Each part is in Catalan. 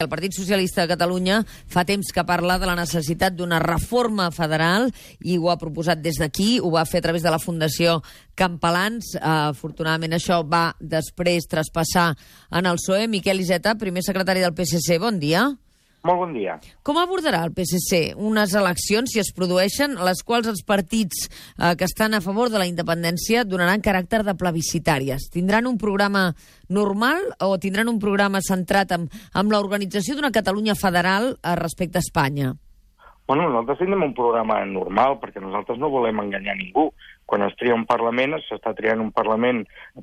El Partit Socialista de Catalunya fa temps que parla de la necessitat d'una reforma federal i ho ha proposat des d'aquí, ho va fer a través de la Fundació Campalans. Afortunadament això va després traspassar en el PSOE. Miquel Iceta, primer secretari del PSC, bon dia. Molt bon dia. Com abordarà el PSC unes eleccions, si es produeixen, les quals els partits que estan a favor de la independència donaran caràcter de plebiscitàries? Tindran un programa normal o tindran un programa centrat en l'organització d'una Catalunya federal respecte a Espanya? Bueno, nosaltres tindrem un programa normal perquè nosaltres no volem enganyar ningú. Quan es tria un Parlament, s'està triant un Parlament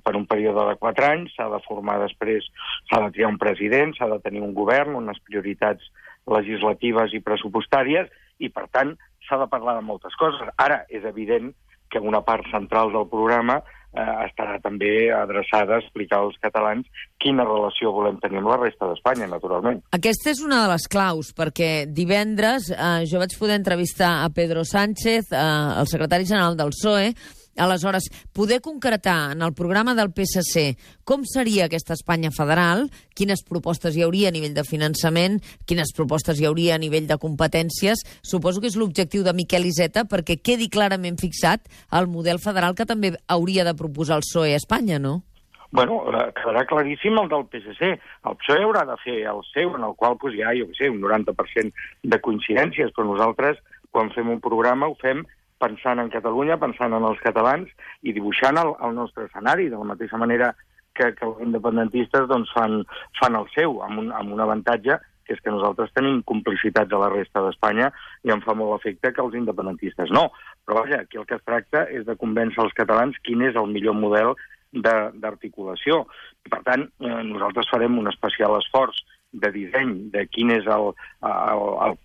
per un període de 4 anys, s'ha de formar després, s'ha de triar un president, s'ha de tenir un govern, unes prioritats legislatives i pressupostàries, i per tant s'ha de parlar de moltes coses. Ara, és evident que una part central del programa estarà també adreçada a explicar als catalans quina relació volem tenir amb la resta d'Espanya, naturalment. Aquesta és una de les claus, perquè divendres jo vaig poder entrevistar a Pedro Sánchez, el secretari general del PSOE. Aleshores, poder concretar en el programa del PSC com seria aquesta Espanya federal, quines propostes hi hauria a nivell de finançament, quines propostes hi hauria a nivell de competències, suposo que és l'objectiu de Miquel Iceta, perquè quedi clarament fixat el model federal que també hauria de proposar el PSOE a Espanya, no? Bueno, quedarà claríssim el del PSC. El PSOE haurà de fer el seu, en el qual hi ha, jo què sé, un 90% de coincidències, però nosaltres, quan fem un programa, ho fem pensant en Catalunya, pensant en els catalans i dibuixant el nostre escenari, de la mateixa manera que els independentistes doncs, fan el seu, amb un avantatge, que és que nosaltres tenim complicitats a la resta d'Espanya i em fa molt efecte que els independentistes no. Però vaja, aquí el que es tracta és de convèncer els catalans quin és el millor model d'articulació. I per tant, nosaltres farem un especial esforç de disseny de quin és el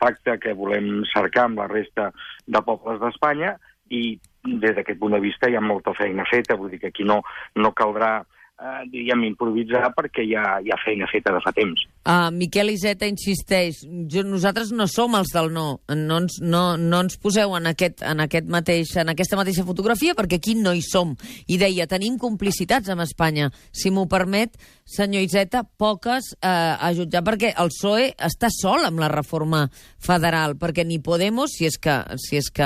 pacte que volem cercar amb la resta de pobles d'Espanya, i des d'aquest punt de vista hi ha molta feina feta, vull dir que aquí no caldrà diríem, improvisar perquè hi ha feina feta de fa temps. Miquel Iceta insisteix, nosaltres no som els del no ens poseu en aquesta mateixa fotografia perquè aquí no hi som. I deia, tenim complicitats amb Espanya. Si m'ho permet, senyor Iceta, poques a jutjar, perquè el PSOE està sol amb la reforma federal, perquè ni Podemos, si és que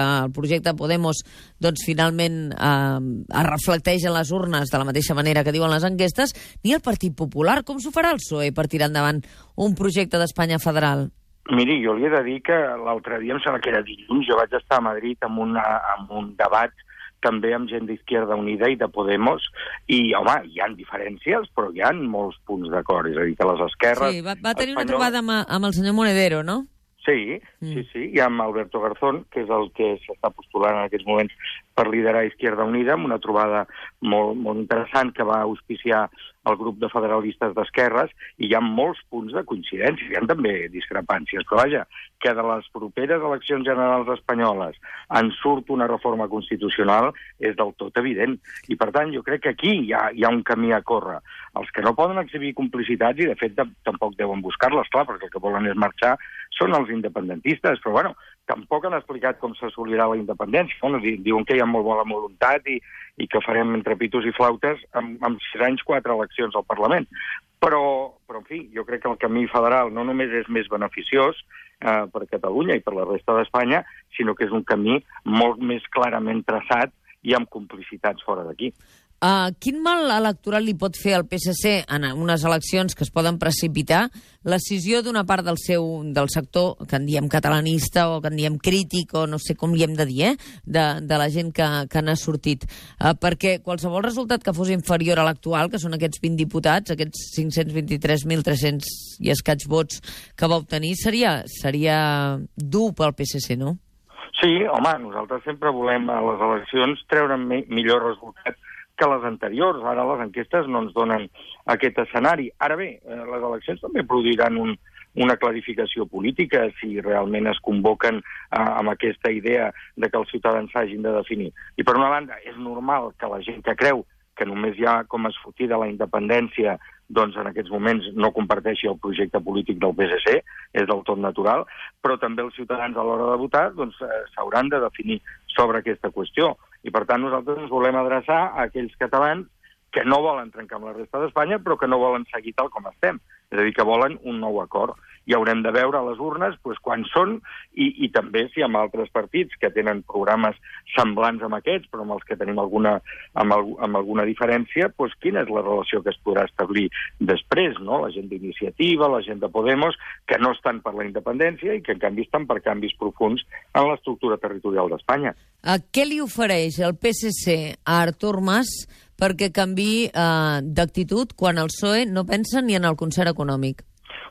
el projecte Podemos doncs finalment es reflecteix en les urnes de la mateixa manera que diuen les enquestes, ni el Partit Popular. Com s'ho farà el PSOE per tirar endavant un projecte d'Espanya federal? Miri, jo li he de dir que l'altre dia, em sembla que era dilluns, jo vaig estar a Madrid amb un debat també amb gent d'Izquierda Unida i de Podemos, i, home, hi ha diferències, però hi ha molts punts d'acord. És a dir, que les esquerres... Sí, va tenir una trobada amb el senyor Monedero, no? Sí, i amb Alberto Garzón, que és el que s'està postulant en aquests moments per liderar Izquierda Unida, amb una trobada molt interessant que va auspiciar el grup de federalistes d'esquerres, i hi ha molts punts de coincidència, hi ha també discrepàncies, però vaja, que de les properes eleccions generals espanyoles en surt una reforma constitucional és del tot evident, i per tant jo crec que aquí hi ha un camí a córrer. Els que no poden exhibir complicitats, i de fet tampoc deuen buscar-les, clar, perquè el que volen és marxar, són els independentistes, però bueno, tampoc han explicat com s'assolirà la independència. Bueno, diuen que hi ha molt bona voluntat i que farem entre pitos i flautes amb 6 anys 4 eleccions al Parlament. Però, en fi, jo crec que el camí federal no només és més beneficiós per Catalunya i per la resta d'Espanya, sinó que és un camí molt més clarament traçat i amb complicitats fora d'aquí. Quin mal electoral li pot fer al PSC en unes eleccions que es poden precipitar l'escissió d'una part del sector, que en diem catalanista o que en diem crític, o no sé com li hem de dir, de la gent que n'ha sortit? Perquè qualsevol resultat que fos inferior a l'actual, que són aquests 20 diputats, aquests 523.300 i escaig vots que va obtenir, seria dur pel PSC, no? Sí, home, nosaltres sempre volem a les eleccions treure millor resultat que les anteriors. Ara les enquestes no ens donen aquest escenari. Ara bé, les eleccions també produiran una clarificació política si realment es convoquen amb aquesta idea de que els ciutadans s'hagin de definir. I per una banda, és normal que la gent que creu que només hi ha com a sortida la independència doncs en aquests moments no comparteixi el projecte polític del PSC, és del tot natural, però també els ciutadans a l'hora de votar doncs s'hauran de definir sobre aquesta qüestió. I per tant nosaltres ens volem adreçar a aquells catalans que no volen trencar amb la resta d'Espanya, però que no volen seguir tal com estem. És a dir, que volen un nou acord. i haurem de veure a les urnes quan són i també si hi ha altres partits que tenen programes semblants amb aquests, però amb els que tenim alguna diferència, quina és la relació que es podrà establir després, no? La gent d'Iniciativa, la gent de Podemos, que no estan per la independència i que en canvi estan per canvis profuns en l'estructura territorial d'Espanya. Què li ofereix el PSC a Artur Mas perquè canviï d'actitud quan el PSOE no pensa ni en el concert econòmic?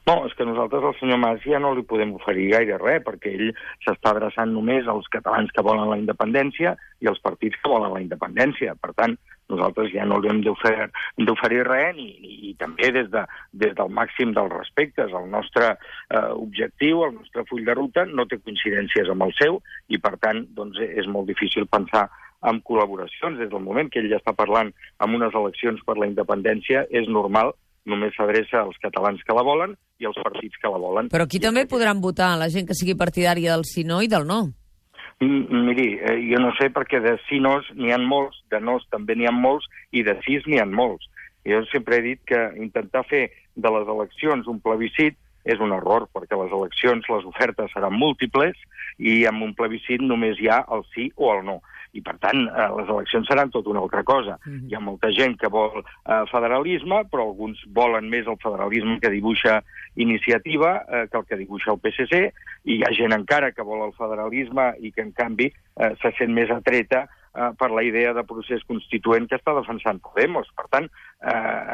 No, és que nosaltres al senyor Mas ja no li podem oferir gaire res, perquè ell s'està adreçant només als catalans que volen la independència i als partits que volen la independència. Per tant, nosaltres ja no li hem d'oferir res i també des del màxim dels respectes. El nostre objectiu, el nostre full de ruta, no té coincidències amb el seu i, per tant, doncs, és molt difícil pensar en col·laboracions. Des del moment que ell ja està parlant amb unes eleccions per la independència, és normal, només s'adreça als catalans que la volen i als partits que la volen. Però aquí també podran votar la gent que sigui partidària del sí no i del no. Miri, jo no sé perquè de sí-nos n'hi ha molts, de nos també n'hi ha molts i de sís n'hi ha molts. Jo sempre he dit que intentar fer de les eleccions un plebiscit és un error, perquè les eleccions, les ofertes seran múltiples i amb un plebiscit només hi ha el sí o el no. I, per tant, les eleccions seran tot una altra cosa. Hi ha molta gent que vol federalisme, però alguns volen més el federalisme que dibuixa Iniciativa que el que dibuixa el PSC, i hi ha gent encara que vol el federalisme i que, en canvi, se sent més atreta per la idea de procés constituent que està defensant Podemos. Per tant,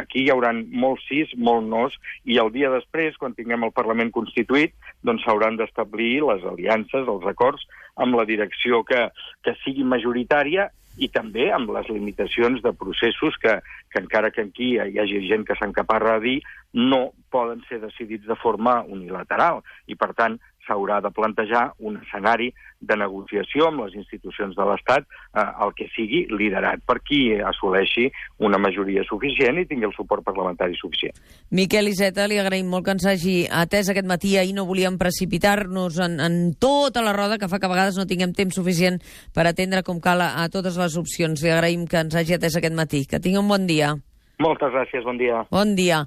aquí hi haurà molts sís, molts nos, i el dia després, quan tinguem el Parlament constituït, doncs s'hauran d'establir les aliances, els acords, amb la direcció que sigui majoritària i també amb les limitacions de processos que encara que aquí hi hagi gent que s'encaparra a dir, no poden ser decidits de forma unilateral. I, per tant, s'haurà de plantejar un escenari de negociació amb les institucions de l'Estat, el que sigui liderat per qui assoleixi una majoria suficient i tingui el suport parlamentari suficient. Miquel Iceta, li agraïm molt que ens hagi atès aquest matí. Ahir no volíem precipitar-nos en tota la roda, que fa que a vegades no tinguem temps suficient per atendre com cal a totes les opcions. Li agraïm que ens hagi atès aquest matí. Que tingui un bon dia. Moltes gràcies, bon dia. Bon dia.